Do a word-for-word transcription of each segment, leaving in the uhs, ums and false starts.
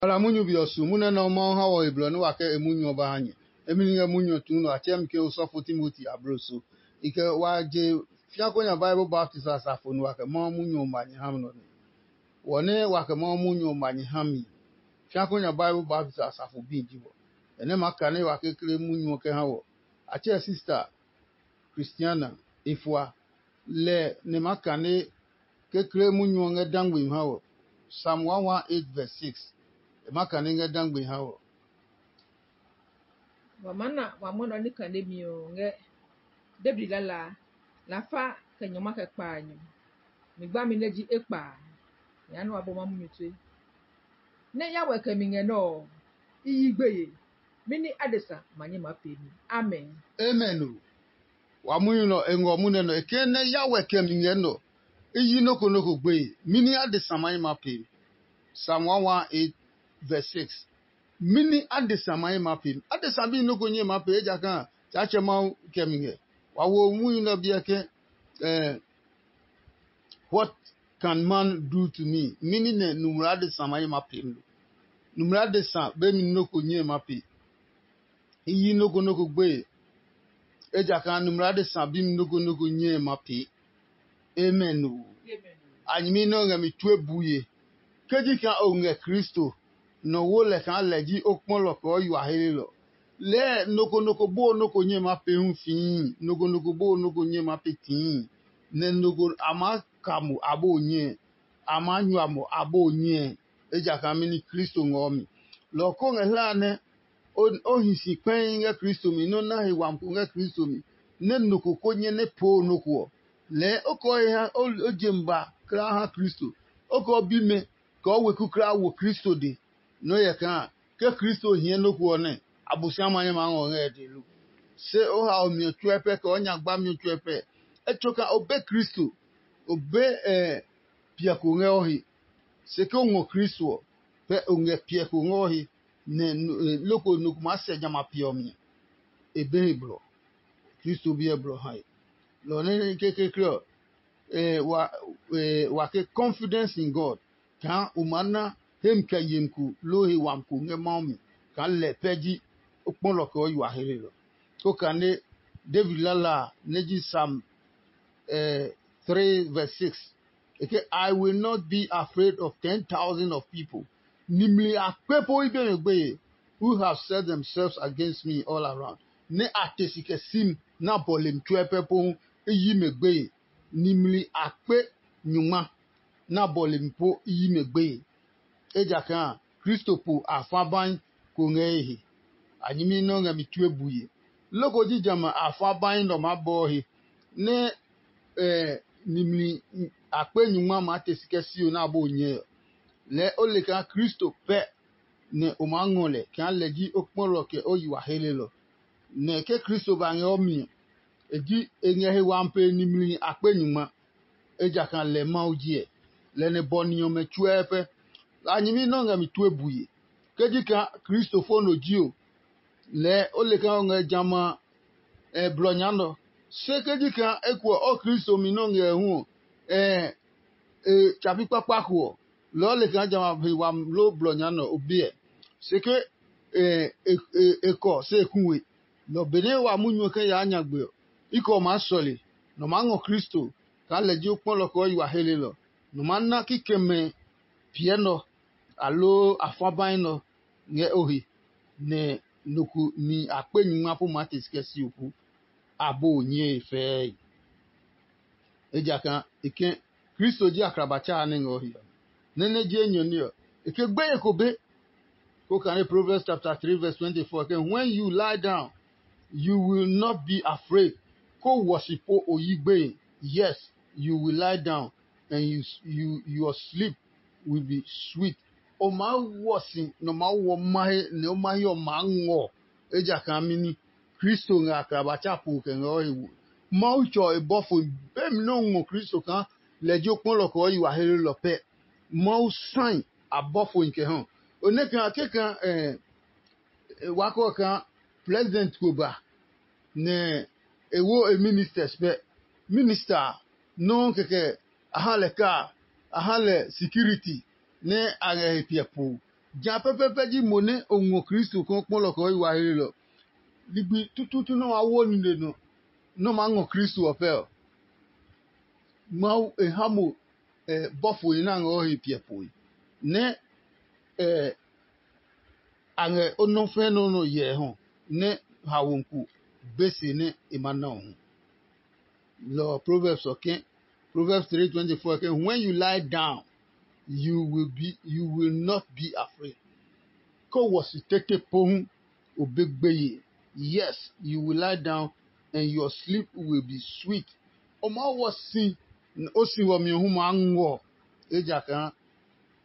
Wala munyu be ɔ su munyu nɛ Mawu ha wɔ he blɔ nɛ wa kɛ e munyu ɔ ba ha nyɛ. Emi ni ngɛ munyu ɔ tuu nɔ a tsɛɛ mi ke osɔfo Timoti abloso. I kɛ wa je fiako nya Bible baptist asafo nɛ wa kɛ Mawu munyu ɔ ma nyɛ ha mi nɔ nɛ. Wɔ nɛ wa kɛ Mawu munyu ɔ ma nyɛ ha mi, fiako nya Bible baptist asafo bi ji wɔ. Nɛ ma kane wa kekle munyu ɔ kɛ ha wɔ. A tsɛɛ sista Christiana e fua. Lɛ nɛ ma kane kekle munyu ɔ ngɛ dangbe ha wɔ. Psalm one one eight verse six. E ma kane ngɛ dangbe ha wɔ. Wa maa na wa mwɔnɛ ɔ ní kane mi ɔ ngɛ David lalaa, lafa kɛ nyɔngma kɛ kpaanyɔ. Mi gbami nɛ ji ekpa a, nyɛ ya nɛ wa bɔ ma munyu tue. Nɛ ya wɛ kɛ mi ngɛ nɛ ɔ, i yi gbeye. Mɛni adesa ma nyɛ maa pee mi? Amen. Amen o. Wa munyu nɔ e ngɔ munɛ nɔ e ke nɛ ya wɛ kɛ mi ngɛ nɔ. I yi noko noko gbeye. Mɛni adesa ma nyɛ maa pee mi? Psalm one one eight verse six. Mɛni adesa ma ye ma pe mi? Adesa bi nɔ́ ko nyɛ ma pe, ejakaa Tsaatsɛ Mawu kɛ mi ngɛ. Wa wo munyu nɛ ɔ biɛ ke, eh, what can man do to me? Mɛni nɛ numla adesa ma ye ma pe mi lo? Numla adesa be mi nɔ́ ko nyɛ ma pe. I yi nɔ́ ko nɔ́ ko gbeye, ejakaa numla adesa bi mi nɔ́ ko nɔ́ ko nyɛ ma pe. Amen o. A nyɛmi nɛ o ngɛ mi tue bue. Ke ji kaa o ngɛ Kristo, nɔ wo lɛ kaa lɛ ji o kpɔlɔ kɛ o yi wa helelɔ. Lɛɛ nɔ ko nɔ ko boo nɔ ko nyɛ ma pee hu fii, nɔ ko nɔ ko boo nɔ ko nyɛ ma pee tii, nɛ nɔ ko a maa ka mo aboo nyɛ, a maa nyua mo aboo nyɛ, ejakaa mɛni Kristo ngɔɔ mi. Lɔ ɔ ko ngɛ hlaa nɛ o hi si kpɛi ngɛ Kristo mi, nɔ́ na he wami ko ngɛ Kristo mi, nɛ nɔ ko ko nyɛ nɛ poo nɔ ko ɔ, lɛɛ o kɛ o he ha o je mi ba kulaa ha Kristo. O kɛ o bimɛ kɛ o weku kulaa wo Kristo de. Nɔ́ hyɛ kaa ke Kristo hie nɔ ko ɔ nɛ, Abosiami ma nyɛ maa ngɔ ngɛ e dee lo? Se o hao mi ɔ tsuɛ pɛ, kɛ o nya gbami ɔ tsuɛ pɛ. Etsoka o be Kristo, o be piɛ ko ngɛ o he. Se ke o ngɔ Kristo ɔ, pɛ o ngɛ piɛ ko ngɛ o he, nɛ loko nɔ ko maa sɛ jamɛ a piɛ ɔ mi. E be he blɔ. Kristo biɛ blɔ hae. Lɔ nɛ kekekle ɔ, wa ke confidence in God, kaa o maa na hemi kɛ yemi ko loo he wami ko ngɛ Mawu mi, kaa lɛ pɛ ji o kpɔlɔ kɛ o yi wa helelɔ. Ko kane David lala a nɛ ji Psalm three verse six. E ke, "I will not be afraid of ten thousand of people." Nimli akpe po i be mi gbeye, who have set themselves against me all around. Nɛ a te si kɛ sim na bɔlemi tsuɛ pɛ po hu i yi mɛ gbeye. Nimli akpe nyungma na bɔlemi po i yi mɛ gbeye. Ejakaa Kristo po afabai ko ngɛ e he. A nyɛmi nɛ o ngɛ mi tue bue. Loko ji jamɛ a fa bai nɛ ɔ maa bɔɔ he, nɛ nimli akpe nyungma maa te si kɛ sio nɛ a bo nyɛe ɔ. Lɛɛ o le kaa Kristo pɛ nɛ o maa ngɔ lɛ kaa lɛ ji o kpɔlɔ kɛ o yi wa helelɔ. Nɛ ke Kristo ba ngɛ o mi ɔ, e ji e ngɛ he wami pee nimli akpe nyungma. Ejakaa lɛ Mawu ji ɛ, lɛ nɛ bɔ ni ɔmɛ tsuɛɛ pɛ. A nyɛmi nɛ o ngɛ mi tue bue. Ke ji kaa Kristo fo nɔ ji o, lɛɛ o le kaa o ngɛ jamɛ a blɔ nya nɔ. Se ke ji kaa ekuɛ o Kristo mi nɛ o ngɛ hu ɔ, e tsapi kpakpa ko ɔ, lɔ ɔ le kaa jamɛ a he wami loo blɔ nya nɔ o biɛ. Se ke e kɔ se e ku we. Nɔ benɛ wa munyu ɔ kɛ yaa nyagbe ɔ, i kɛ ɔ maa sɔle, nɔ maa ngɔ Kristo kaa lɛ ji o kpɔlɔ kɛ o yi wa helelɔ. Nɔ maa na kikɛmɛ piɛ nɔ, aloo a fa bai nɔ ngɛ o he, nɛ nɔ ko ni akpe nyungma po maa te si kɛ si oku. A bo nyɛe fɛɛe. Ejakaa e ke Kristo ji akraba tsaa nɛ ngɛ o he ɔ. Nɛ nɛ ji enyɔ ní ɔ, e ke gbeye ko be. Ko kane Proverbs chapter three verse twenty-four ke, "When you lie down, you will not be afraid." Ko wɔ si po o yi gbeye. Yes, you will lie down and you, you, your sleep will be sweet. O maa wɔ si nɛ o maa wɔ mahe nɛ o mahe ɔ maa ngɔ. Ejakaa mɛni? Kristo ngɛ akraba tsa po kɛ ngɛ o he wo. Mawu tsɔ e bɔfo be mi nɛ o ngɔ Kristo kaa lɛ ji o kpɔlɔ kɛ o yi wa helelɔ pɛ. Mawu sai abɔfo kɛ hɔ. O nɛ kaa kɛkaa wakɔ kaa president ko ba nɛ e wo e ministers pɛ. Minister nɔuu kɛkɛ a ha lɛ kaa, a ha lɛ security nɛ a ngɛ he piɛ po. Ja pɛpɛpɛ ji mo nɛ o ngɔ Kristo kaa o kpɔlɔ kɛ o yi wa hlelɔ. Ligbi tutuutu nɛ o maa wo nine nɔ nɛ o maa ngɔ Kristo ɔ pɛ ɔ, Mawu e ha mo bɔfohi nɛ a ngɛ o he piɛ poe, nɛ a ngɛ o nɔfɛ nɔ nɔ hyɛ hɔ, nɛ hawo ko be se nɛ e ma na o hu. Lɔ ɔ Proverbs ɔ ke, Proverbs three twenty four ke, "When you lie down, you will be you will not be afraid." Ke o wɔ si tete pohu, o be gbeye. Yes, you will lie down and your sleep will be sweet. O maa wɔ si, o si wɔ mi hu maa ngɔ, ejakaa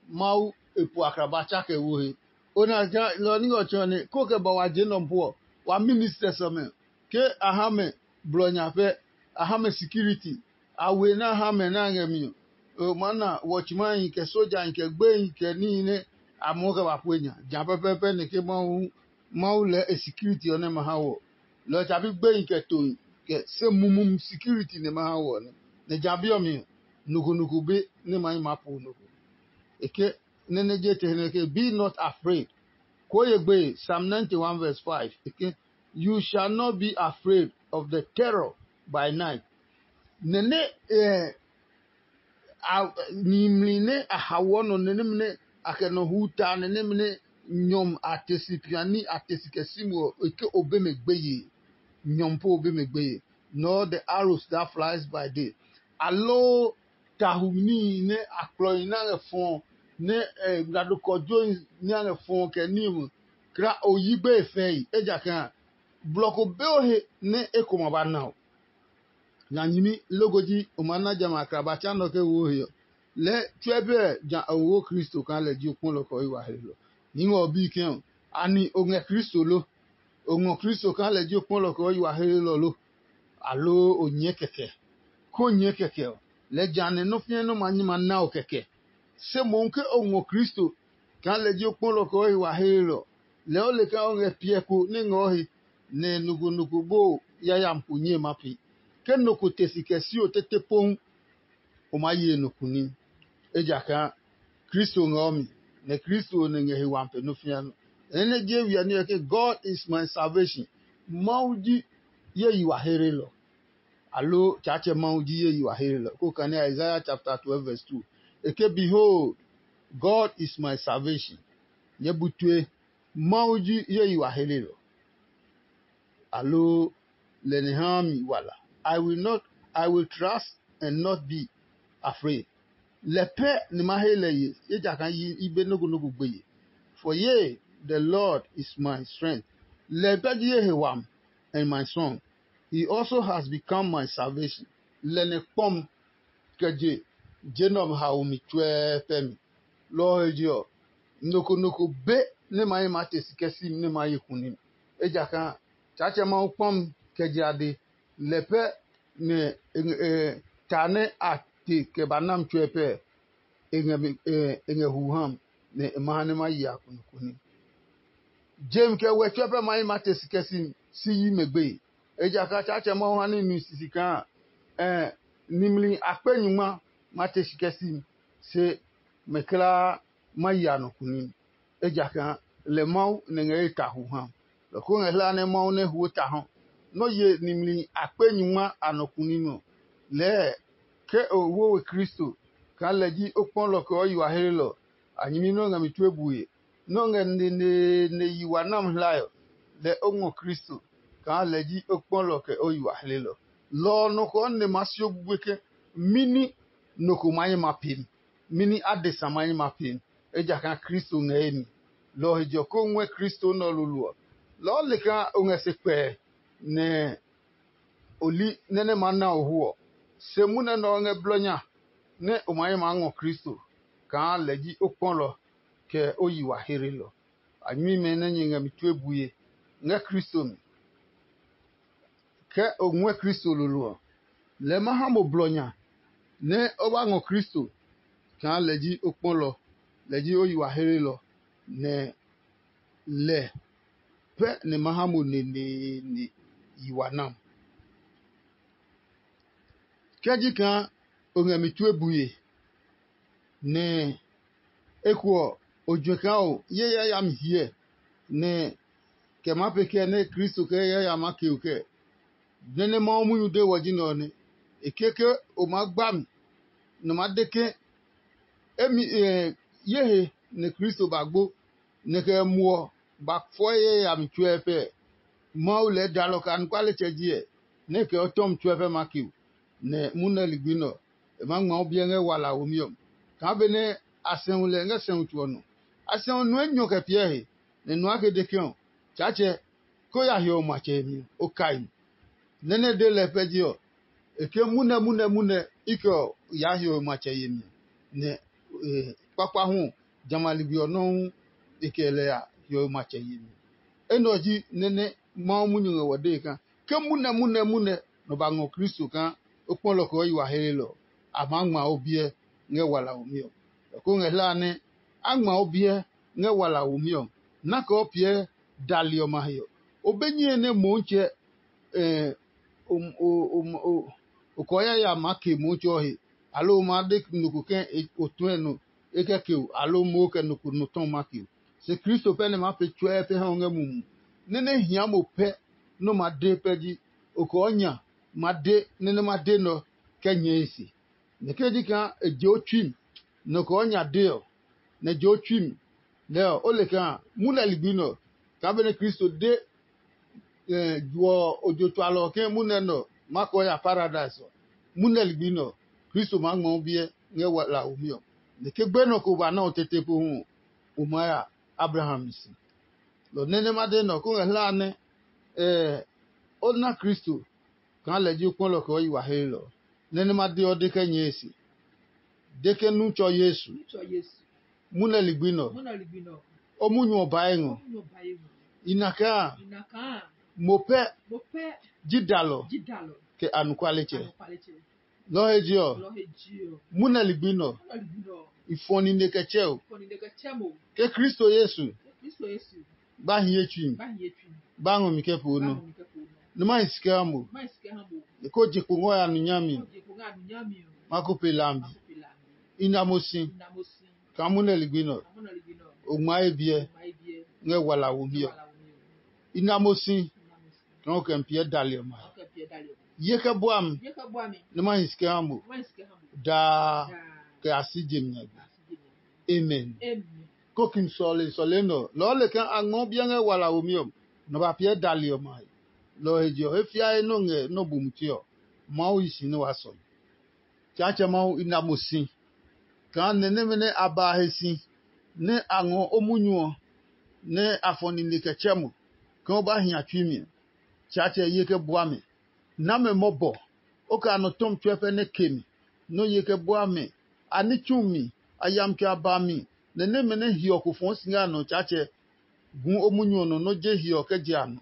Mawu e po akraba tsa kɛ wo he. O na ja lɔ ní ɔ tsɔ ne ko kɛ ba wa je nɔ po ɔ, wa ministers ɔmɛ ke a ha mɛ blɔ nya pɛ, a ha mɛ security, a we na ha mɛ na ngɛ mi ɔ, o ma na wɔtsmahi kɛ sojahi kɛ gbehi kɛ níhi nɛ a muɔ kɛ ba pue nya. Ja pɛpɛɛpɛ nɛ ke Mawu Mawu lɛɛ e security ɔ nɛ ma ha wɔ. Lɔ tsabi gbehi kɛ tohi kɛ se mumum security nɛ ma ha wɔ nɛ. Nɛ ja bi ɔ mi ɔ, noko noko be nɛ ma yi maa po noko. E ke nɛ nɛ je te nɛ ke, "Be not afraid." Koo ye gbe Psalm ninety-one verse five. E ke, "You shall not be afraid of the terror by night." Nɛ nɛ nimli nɛ a hawɔ nɔ nɛ nɛmɛ nɛ a kɛ nɔ hu ta nɛ nɛmɛ nɛ nyɔm a te si piani a te si kɛ si mo ɔ, e ke o be mɛ gbeye. Nyɔm po o be mɛ gbeye, nor the arrows that flies by day, aloo tahu níhi nɛ a kplɔhi nɛ a ngɛ fɔɔ, nɛ ngmlado kɔjohi nɛ a ngɛ fɔɔ kɛ níhi kra o yi gbeye fɛi. Ejakaa blɔ ko be o he nɛ eko ma ba na o. Nya nyɛmi loko ji o maa na jamɛ a kla ba tsa nɔ ke wo he ɔ, lɛɛ tsuɛ bɛ ja a wo Kristo kaa lɛ ji o kpɔlɔ kɛ o yi wa he lɔ. Ni ngɛ ɔ bi ke ɔ, ani o ngɛ Kristo lo? O ngɔ Kristo kaa lɛ ji o kpɔlɔ kɛ o yi wa he lɔ lo? Aloo o nyɛɛ kɛkɛ? Ko nyɛɛ kɛkɛ ɔ, lɛɛ ja nɛ nɔ́ fĩɛ nɔ́ ma nyi ma na o kɛkɛ. Se mohu ke o ngɔ Kristo kaa lɛ ji o kpɔlɔ kɛ o yi wa he lɔ, lɛɛ o le kaa o ngɛ piɛ ko nɛ ngɛ o he, nɛ noko noko boo yayami ko nyɛe ma pee. Ke nɔ ko te si kɛ si o tete pohu, o maa ye nɔ ko ní, ejakaa Kristo ngɛ o mi, nɛ Kristo ɔ nɛ ngɛ he wami pe nɔ́ fĩa nɔ. Nɛ nɛ je we ɔ ní ɔ ke, "God is my salvation." Mawu ji ye yi wa heerelɔ. Aloo Tsaatsɛ Mawu ji ye yi wa heerelɔ. Ko kane Isaiah chapter twelve verse two. E ke, "Behold, God is my salvation." Nyɛ bu tue, Mawu ji ye yi wa heerelɔ. Aloo lɛ nɛ haa mi wala. I will not, I will trust and not be afraid. Lɛ pɛ ni ma he lɛ ye, ejakaa yi i be nɔ́ ko nɔ́ ko gbeye. For ye, the Lord is my strength. Lɛ pɛ ji ye he wami and my song. He also has become my salvation. Lɛ nɛ kpɔm kɛ je je nɛ ɔmɛ haomi tsuɛɛ pɛ mi. Lɔ ɔ he je ɔ, nɔ ko nɔ ko be nɛ ma hi maa te si kɛ si mi nɛ ma ye kuni mi. Ejakaa Tsaatsɛ Mawu kpɔ mi kɛ je ade, lɛ pɛ nɛ e ngɛ- e- ta nɛ a te kɛ ba na mi tsuɛ pɛ, e ngɛ mi- e- e ngɛ hu ha mi, nɛ e ma ha nɛ ma yi a kunukuni. Je mi kɛ wɛ tsuɛ pɛ ma hi ma te si kɛ si si yi mɛ gbeye. Ejakaa Tsaatsɛ Mawu ha ní nu sisi kaa ɛ nimli akpe nyungma ma te si kɛ si mi, se mɛ kulaa ma yi a nɔ kuni. Ejakaa lɛ Mawu nɛ ngɛ ye ta hu ha. Lɔ ko ngɛ hlaa nɛ Mawu nɛ huo ta hɔ. Nɔ́ ye nimli akpe nyungma a nɔ kuni nɔ. Lɛɛ ke o wo we Kristo kaa lɛ ji o kpɔlɔ kɛ o yi wa heelɔ, a nyɛmi nɛ o ngɛ mi tue bue, nɛ o ngɛ neneene yi wa nami hlae ɔ, lɛ o ngɔ Kristo kaa lɛ ji o kpɔlɔ kɛ o yi wa heelɔ. Lɔ ɔ nɔ kɔɔ nɛ ma sio bue ke mɛni nɔ ko ma nyɛ ma pee mi, mɛni adesa ma nyɛ ma pee mi, ejakaa Kristo ngɛ ye mi. Lɔ ɔ he jɔ ko ngɔɛ Kristo nɛ ɔ lolo ɔ, lɔɔ le kaa o ngɛ se kpɛɛ, nɛ o li nɛ nɛ maa na o hu ɔ. Se munɛ nɛ ɔ ngɛ blɔ nya nɛ o ma nyɛ maa ngɔ Kristo kaa lɛ ji o kpɔlɔ kɛ o yi wa heelɔ. A nyuimɛ nɛ nyɛ ngɛ mi tue bue ngɛ Kristo mi. Ke o ngɔɛ Kristo lolo ɔ, lɛɛ ma ha mo blɔ nya nɛ o ba ngɔ Kristo kaa lɛ ji o kpɔlɔ, lɛ ji o yi wa heelɔ, nɛ lɛ pɛ nɛ ma ha mo neneene yi wa nam. Ke ji kaa o ngɛ mi tue bue, nɛ eko ɔ, O juɛ kaa o ye yayami hyɛ nɛ kɛ maa pee kɛɛ nɛ Kristo kɛ yayami a keo kɛɛ? Nɛ nɛ Mawu munyu de wɔ ji nɛ ɔ nɛ. E ke ke o maa gba mi, nɛ o maa de ke emi ye he nɛ Kristo ba gbo, nɛ kɛ muɔ ba fɔe yayami tsuɛ pɛ. Mawu lɛɛ dalɔ kɛ anɔkualetsɛ ji ɛ, nɛ e kɛ o tɔmi tsuɛ pɛ ma keo, nɛ munɛ ligbi nɛ ɔ, e maa ngma o biɛ ngɛ wala womi ɔ. Kaa benɛ a sɛu lɛ ngɛ sɛu tso ɔ nɔ. A sɛu nu enyɔ kɛ piɛ he, nɛ nu ake de ke ɔ, Tsaatsɛ, ko ya hiɔwe matsɛ yemi ɔ, o kai mi. Nɛ nɛ de lɛ pɛ ji ɔ, e ke munɛ munɛ munɛ i kɛ ɔ yaa hiɔwe matsɛ yemi, nɛ kpakpa hu ɔ, jamɛ a ligbi ɔ nɔuu e kɛ lɛ ya hiɔwe matsɛ yemi. Enɛ ɔ ji nɛ nɛ Mawu munyu ngɛ wɔ dee kaa, ke munɛ munɛ munɛ nɔ ba ngɔ Kristo kaa o kpɔ lɔ kɛ o yi wa heelelɔ ɔ, a maa ngma o biɛ ngɛ walaomi ɔ. Lɔ ko ngɛ hlaa nɛ a ngma o biɛ ngɛ walaomi ɔ, nɛ a kɛ o piɛ dali ɔmɛ a he ɔ, o be nyɛe nɛ Motsɛ o kɔɔ yaya maa ke Motsɛ ɔ he, aloo o maa de nɔ ko ke o tuɛ nɔ e kɛ ke o, aloo mo kɛ nɔ ko nɔ tɔ ma ke o. Se Kristo pɛ nɛ maa pee tsuɛɛ pɛ ha o ngɛ mumi. Nɛ nɛ hia mo pɛ nɛ o ma de pɛ ji, o kɔɔ nya ma de nɛ nɛ ma de nɛ ɔ kɛ nyɛe se. Nɛ ke ji kaa e je o tsui mi, nɛ o kɔɔ nya de ɔ, nɛ je o tsui mi, lɛɛ ɔ, o le kaa munɛ ligbi nɛ ɔ, kaa benɛ Kristo de juɔ ojo tsualɔ ɔ ke munɛ nɛ ɔ ma kɔɔ ya paradise ɔ, munɛ ligbi nɛ ɔ, Kristo maa ngmɔ o biɛ ngɛ wala womi ɔ. Nɛ ke gbenɔ ko ba na o tete pohu ɔ, o maa ya Abraham si. Lɔ nɛ nɛ ma de nɛ ɔ, kó ngɛ hlaa nɛ o na Kristo kaa lɛ ji o kpɔlɔ kɛ o yi wa heelɔ. Nɛ nɛ ma de ɔ de kɛ nyɛe se, de ke nu tsɔ Yesu, munɛ ligbi nɛ ɔ, o munyu ɔ bae ngɔ. I na kaa mo pɛ ji dalɔ kɛ anɔkualetsɛ. Lɔ he je ɔ, munɛ ligbi nɛ ɔ, i fɔ nine kɛ tsɛ o. Ke Kristo Yesu ba hiye tsui mi, ba ngɔ mi kɛ po nɔ, nɛ ma hi si kɛ ha mo. E ko je kpo ngɔ ya nu nyami ɔ, ma ko pe lambi. I na mo si kaa munɛ ligbi nɛ ɔ, o ngma ye biɛ ngɛ wala womi ɔ. I na mo si kaa o kɛ mi piɛ dali ɔmɛ a. Ye kɛ bua mi nɛ ma hi si kɛ ha mo daa kɛ a si je mi nyagbe. Amen. Kokim sɔle sɔle nɛ ɔ, lɔɔ le kaa a ngmɔ biɛ ngɛ wala womi ɔ, nɔ ba piɛ dali ɔmɛ a he. Lɔ ɔ he je ɔ, he fiae nɔ ngɛ nɔ bu mutse ɔ, Mawu yi si nɛ waa sɔle. Tsaatsɛ Mawu i na mo si kaa nɛ nɛmɛ nɛ a ba a he si nɛ a ngɔ o munyu ɔ, nɛ a fɔ nine kɛ tsɛ mo kaa o ba hia tsui mi ɔ, Tsaatsɛ ye kɛ bua mi. Na mɛ mɔbɔ, o kɛ anɔ tɔmi tsuɛ pɛ nɛ ke mi, nɛ o ye kɛ bua mi. A ní tsu mi, a ya mi kɛ a ba mi, nɛ nɛmɛ nɛ hiɔ ko fɔɔ si ngɛ a nɔ Tsaatsɛ gu o munyu ɔ nɔ nɛ o je hiɔ kɛ je a nɔ.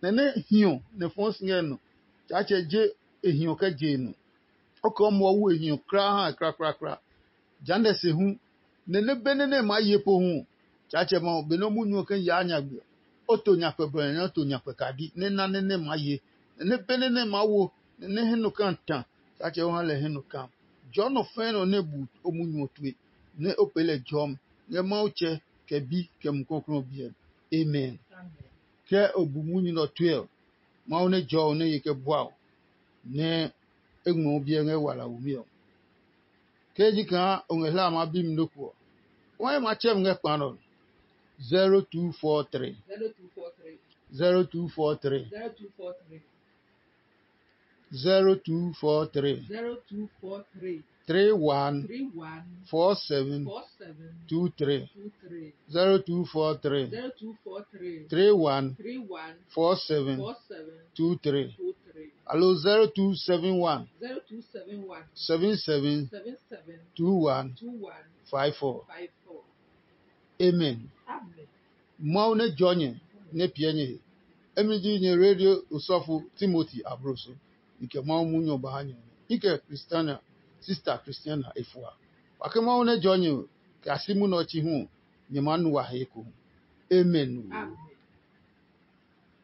Nɛ nɛ hiɔ nɛ fɔɔ si ngɛ nɔ Tsaatsɛ je e hiɔ kɛ je e nɔ. O kɛ o muɔ wu e hiɔ kulaa ha e krakrakra. Jehanɛ se hu, nɛ nɛ be nɛ nɛ e maa ye po hu ɔ, Tsaatsɛ Mawu, benɛ o munyu ɔ kɛ yaa nyagbe ɔ, o to nyakpɛ blɔ nɛ o to nyakpɛ kadi nɛ na nɛ nɛ maa ye. Nɛ nɛ be nɛ nɛ maa wo nɛ nɛ hɛ nɔ kaa ta, Tsaatsɛ o ha lɛ hɛ nɔ kaa. Jɔɔ nɔ fɛɛ nɔ nɛ bu o munyu ɔ tue, nɛ o pee lɛ jɔmi ngɛ Mawu Tsɛ, kɛ Bi, kɛ Mumi Klɔuklɔu ɔ biɛ mi. Amen. Ke o bu munyu nɛ ɔ tue ɔ, Mawu nɛ jɔɔ o nɛ ye kɛ bua o, nɛ e ngmɔ o biɛ ngɛ wala womi ɔ. Ke ji kaa o ngɛ hlaa maa bi mi nɔ́ ko ɔ, wai ma tsɛ mi ngɛ kpa nɛ ɔ. zero two four three, zero two four three, zero two four three, zero two four three, zero two four three, zero two four three, three one, three one, four seven, four seven, two three, two three, zero two four three, zero two four three, three one, three one, four seven, four seven, two three, two three. Alo zero two seven one, zero two seven one, seven seven, seven seven, two one, two one, five four, five four. Amen. Amen. Mawu nɛ jɔ nyɛ nɛ piɛ nyɛ he. Emi ji nyɛ radio osɔfo Timothy Abroso. I kɛ Mawu munyu ɔ ba ha nyɛ. I kɛ Christiana, sister Christiana efua. Wa ke Mawu nɛ jɔ nyɛ kɛ a si munɛ ɔ tsi hu ɔ, nyɛ maa nu wa he ekohu. Amen. Amen.